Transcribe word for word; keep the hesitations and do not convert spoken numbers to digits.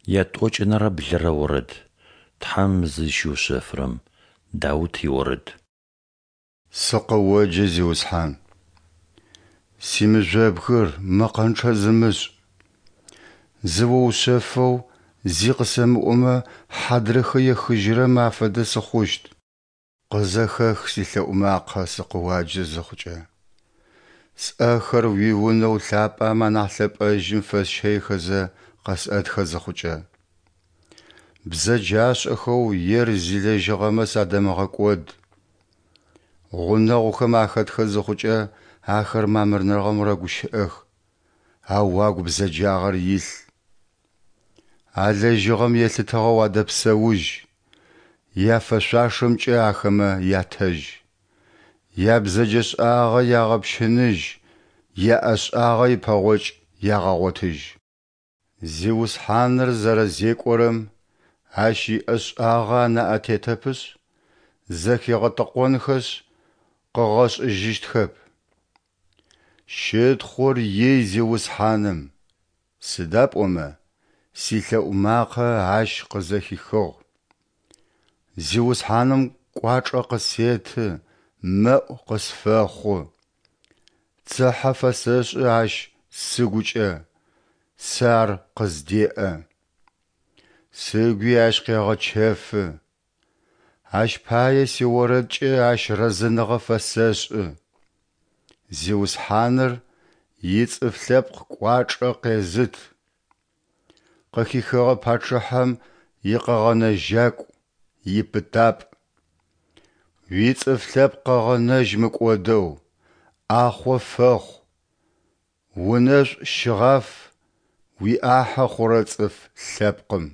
Ятӏокӏынэрэ блырэ орэд. Тхьэм зызщиушъэфырэм. Даут иорэд. Сыкъыоджэ, Зиусхьан! Симыжъобгыр, мэкъэнчъэ зымышӏ! Зыоушъэфэу зи къысэмыӏомэ, хьадрыхэ ехыжьырэм афэдэ сыхъущт. Къызэхэх силъэӏу макъэ сыкъыуаджэ зыхъукӏэ, сӏэхэр уи Унэу Лъапӏэм анахь Лъэпӏэжьым фэсщэихэзэ къэсӏэтхэ зыхъукӏэ. Бзэджашӏэхэу ер зилэжьыгъэмэ садэмыгъэкӏод. Гъунэгъухэм ахэтхэ зыхъукӏэ ахэр мамырныгъэм рэгущыӏэх, ау агу бзэджагъэр илъ. Алэжьыгъэм елъытыгъэу адэпсэужь, яфэшъуашэмкӏэ ахэмэ ятэжь. Ябзэджэшӏагъэ ягъэпщыныжь, яӏэшӏагъэ ипэгъокӏ ягъэгъотыжь. Зиусхьаныр зэрэзекӏорэм, Ащ иӏэшӏагъэ анаӏэ тетэпышъ, зэхигъэтэкъонхэшъ, къыгъэшӏыжьыщтхэп. Щытхъур ий Зиусхьаным, сыда пӏомэ силъэӏу макъэ Ащ къызэхихыгъ. Зиусхьаным кӏуачӏэ къысеты, мэӏу къысфэхъу. Цыхьэ фэсэшӏы Ащ сыгукӏэ, сэ Ар къыздеӏэ. Сыгуи Ащ къегъэчэфы. Ащ пае сиорэдкӏэ Ащ рэзэныгъэ фэсэшӏы. Зиусхьаныр ицӏыф лъэпкъ кӏуачӏэ къезыт. Къыхихыгъэ пачъыхьэм икъэгъэнэжьакӏу, ипытапӏ. Уицӏыф лъэпкъ къэгъэнэжь мыкӏодэу, ӏахъо фэхъу, унэшӏу щыгъаф уиӏахьэ хъурэ цӏыф лъэпкъым.